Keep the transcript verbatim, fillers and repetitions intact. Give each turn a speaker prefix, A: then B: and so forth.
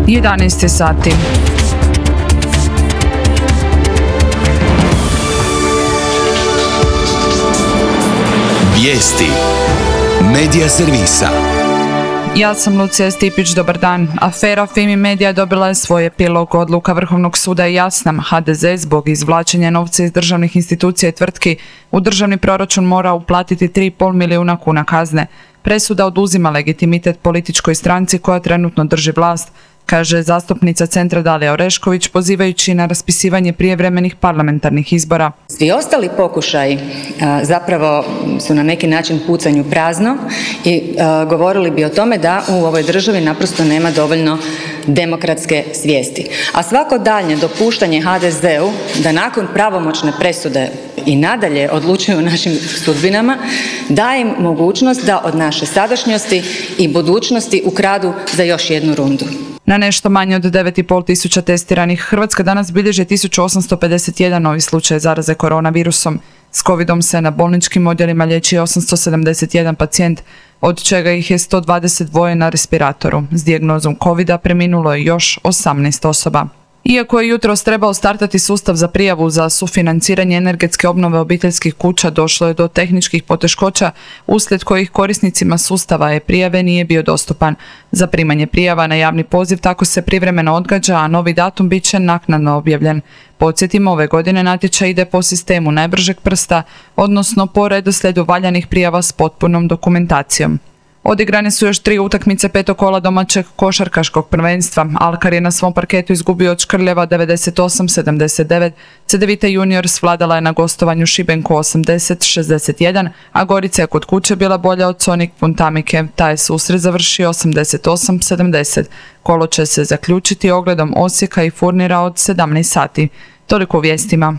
A: jedanaest sati.
B: Vijesti Medija servisa.
A: Ja sam Lucija Stipić, dobar dan. Afera Fimi Media dobila je svoj epilog. Odluka Vrhovnog suda je jasna. ha de ze zbog izvlačenja novca iz državnih institucija i tvrtki u državni proračun mora uplatiti tri i pol milijuna kuna kazne. Presuda oduzima legitimitet političkoj stranci koja trenutno drži vlast, kaže zastupnica Centra Dalija Orešković, pozivajući na raspisivanje prijevremenih parlamentarnih izbora.
C: Svi ostali pokušaji a, zapravo su na neki način pucanju prazno i a, govorili bi o tome da u ovoj državi naprosto nema dovoljno demokratske svijesti. A svako daljnje dopuštanje ha de zeu da nakon pravomoćne presude i nadalje odlučuju o našim sudbinama daje im mogućnost da od naše sadašnjosti i budućnosti ukradu za još jednu rundu.
A: Na nešto manje od devet i pol tisuća testiranih, Hrvatska danas bilježi tisuću osamsto pedeset jedan novi slučaj zaraze koronavirusom. S covidom se na bolničkim odjelima liječi osamsto sedamdeset jedan pacijent, od čega ih je sto dvadeset dva na respiratoru. S dijagnozom covida preminulo je još osamnaest osoba. Iako je jutros trebao startati sustav za prijavu za sufinanciranje energetske obnove obiteljskih kuća, došlo je do tehničkih poteškoća uslijed kojih korisnicima sustava e-prijave nije bio dostupan. Za primanje prijava na javni poziv tako se privremeno odgađa, a novi datum bit će naknadno objavljen. Podsjetimo, ove godine natječaj ide po sistemu najbržeg prsta, odnosno po redoslijedu valjanih prijava s potpunom dokumentacijom. Odigrane su još tri utakmice petog kola domaćeg košarkaškog prvenstva. Alkar je na svom parketu izgubio od Škrljeva devedeset osam sedamdeset devet, Cedevita Juniors vladala je na gostovanju Šibenku osamdeset šezdeset jedan, a Gorica je kod kuće bila bolja od Sonik Puntamike. Taj je susret završio osamdeset osam sedamdeset. Kolo će se zaključiti ogledom Osijeka i Furnira od sedamnaest sati. Toliko u vijestima.